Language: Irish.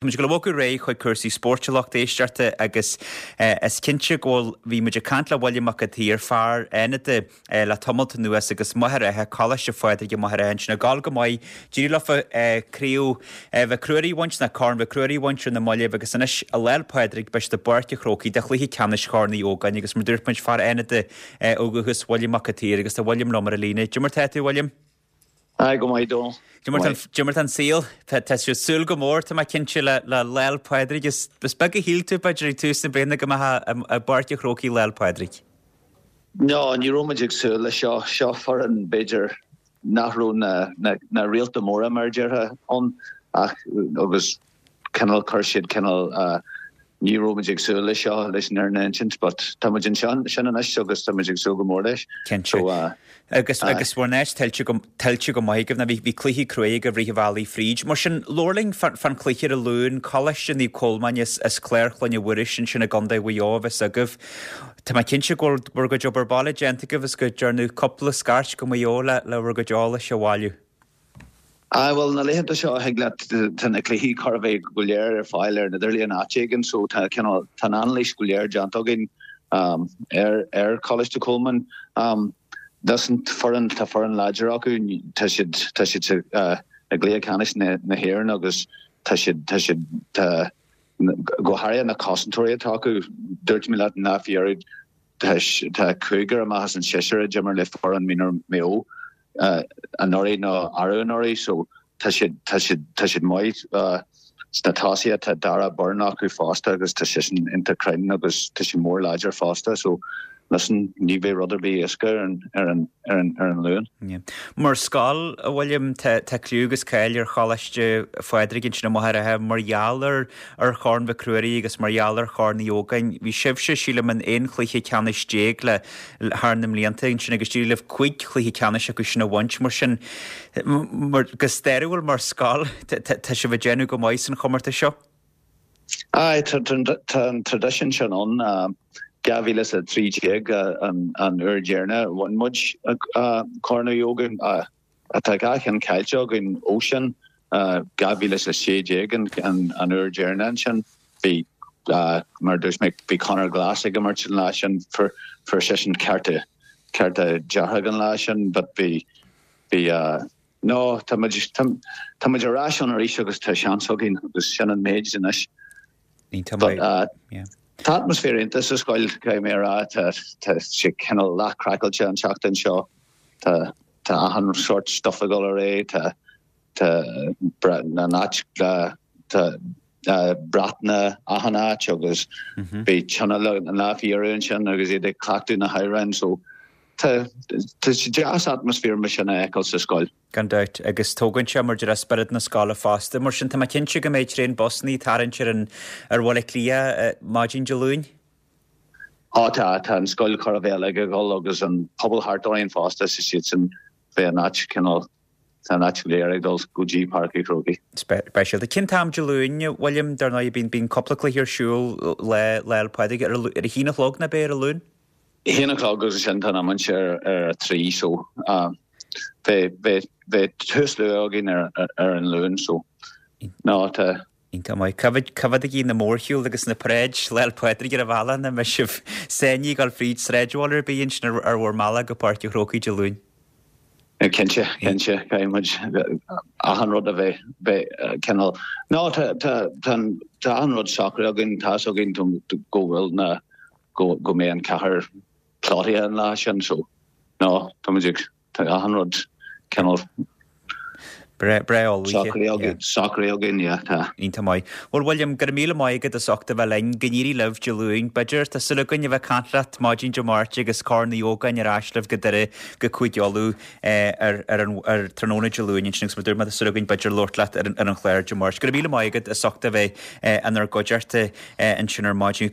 Tá muid ag dul a bhogadh ar aghaidh chuig cúrsaí spóirt a lucht éisteachta agus is cinnte go bhfuil, bhí muid ag caint le William Mac an tSaoir, fear Fhánada le tamalt anuas agus Machaire Rátha, Coláiste Phádraig i Machaire Rátha ansin ag gabháil go maith, d'éirigh leofa Craobh Mhic Ruairí a bhaint, nó Corn Mhic Ruairí a bhaint ar na mallaibh agus anois i Lá 'le Pádraig beidh siad i bPáirc an Chrócaigh do chluiche ceannais Chorn Uí Ógáin agus mar dúirt muid, fear Fhánada ó dhúchas William Mac an tSaoir agus tá William liom ar an líne. Cad é mar tá tú, William? Aye, go maith, Dónal. Cad é mar tá an saol? Tá tú ag súil go mór, tá mé cinnte, le Lá 'le Pádraig. Is beag a shíl tú, b'fhéidir, ag tús na bliana go mbeifeá i bPáirc an Chrócaigh Lá 'le Pádraig. No, ní raibh muid ag súil leis seo. Seo foireann, b'fhéidir, nach raibh na réalta móra, mar a déarfá, ann ach agus cineál chuir siad cineál ní raibh muid ag súil leis seo leis an fhírinne a insint but tá muid anseo sin anois agus tá muid ag súil go mór leis. Cinnte. So Agus agus bhur n-áit tuillte go tuillte go maith agaibh nó bhí bhí cluichí cruaidh agaibh rith an bhealaigh fríd. Mar sin labhair linn fán fán chluiche ar an Luan, Coláiste Naomh Colmáin as as Clár Chloinne Mhuiris ansin i gContae Mhaigh Eo a bheas agaibh. Tá mé cinnte go bhfuil bhur gcuid obair baile déanta agaibh agus go dtearnadh cúpla scairt go Maigh Eo le le bhur gcuid eolais a bhailiú. Aye, bhuel, na laethanta seo, thig leat, tá na cluichí chóir a bheith go léir ar fáil ar an idirlíon áit éigin, so tá cineál, tá an anailís go léir déanta againn ar, ar Choláiste Cholmáin. Listen, foireann, tá foireann láidir acu, tá siad, tá siad sa, i gcluiche ceannais na, na hÉireann agus tá siad, tá siad, tá, go háirithe na cosantóirí atá acu, dúirt mé leat an lá faoi dheireadh, tá, tá cúigear amach as an seisear a d'imir le foireann mionúir Mhaigh Eo. anuraidh nó arú anuraidh so tá siad tá siad tá siad maith sna tosaithe tá Dara Byrne acu fosta agus tá seisean iontach cruinn agus tá sé mór láidir fosta so listen ní bheidh rud ar bith éasca ar an ar an ar an ar an Luan. Yeah. Mar scoil, a William, tá tá cliú agus cáil ar Choláiste Phádraig ansin i Machaire Rátha mar gheall ar ar Chorn Mhic Ruairí agus mar gheall ar Chorn Uí Ógáin. Bhí sibhse, sílim, in 11 chluiche ceannais le thar na mblianta ansin agus d'éirigh libh 5 chluiche ceannais acu sin a bhaint. Mar sin, mar, go stairiúil mar scoil, tá sibh ag déanamh go maith san chomórtas seo. Aye, tá an traidisiún sin ann. 2013 an uair dheireanach a bhain muid Corn Uí Ógáin. Tá dhá cheann caillte againn ó sin, 2016 an uair dheireanach ansin. Bhí, mar a dúirt mé, bhí Conor Glass ag imirt an lá sin, fuair seisean cárta, cárta dearg an lá sin but bhí, bhí, no, tá muid, tá muid ar ais ann arís agus tá seans againn agus sin an méid anois. But tá atmaisféar iontach sa scoil, caithfidh mé a rá, tá, tá sé cineál leath craiceáilte an tseachtain seo. Tá tá achan sórt stuff ag dul ar aghaidh, tá tá an áit tá brat na achan áit agus bhí tionól an lá faoi dheireadh ansin agus iad ag cleachtadh na hamhráin so tá tá sé deas atmaisféar mar sin a fheiceáil sa scoil. Gan dabht, agus tógann sé mar a déarfá spiorad na scoile fosta. Mar sin tá mé cinnte go mbeidh traein busanna ag tarraingt ar an ar Bhaile Átha Cliath maidin Dé Luain. Á tá, tá an scoil chóir a bheith uilig ag dul agus an pobal thart orainn fosta, so siadsan, beidh an áit cineál, tá an áit go léir ag dul go dtí Páirc an Chrócaigh. Speisialta. Cén t-am Dé Luain, a William, dar ndóigh bíonn, bíonn cúpla cluiche ar siúl Lá, Lá 'le Pádraig, ar a, ar a haon a chlog ná beidh ar an Luan? A haon a chlog agus ansin tá an iomáint ar, ar a trí so beidh, beidh, beidh tús luath againn ar, ar an Luan so no tá, Iontach maith. Cá fhad, cá fhad a bhí na mórshiúil agus na paráid Lá 'le Pádraig ar an bhealach nach mbeidh sibh sáinnithe ag dul fríd sráidbhaile ar bith ansin ar, ar bhur mbealach go Páirc an Chrócaigh Dé Luain? Cinnte, cinnte, caithfidh muid achan rud a bheith, bheith cineál, no tá, tá, tá an, tá achan rud socraithe againn, tá's againn go bhfuil na, go, go mbeidh an cathair plódaithe an lá sin so no, tá muid ag, Tá achan rud cineál Breá ullmhaithe. Socraithe againn, yeah, tá. Iontach maith. Bhuel, William, go raibh míle maith agat as ucht a bheith linn. Go n-éirí libh Dé Luain. B'fhéidir, tá súil againn a bheith ag caint leat maidin Dé Máirt agus Corn Uí Ógáin ar ais libh go Doire go Cúige Uladh ar ar an ar tráthnóna Dé Luain ansin agus mar dúirt mé tá súil againn b'fhéidir labhairt leat ar an ar an chlár Dé Máirt. Go raibh míle maith agat as ucht a bheith inár gcuideachta ansin ar maidin.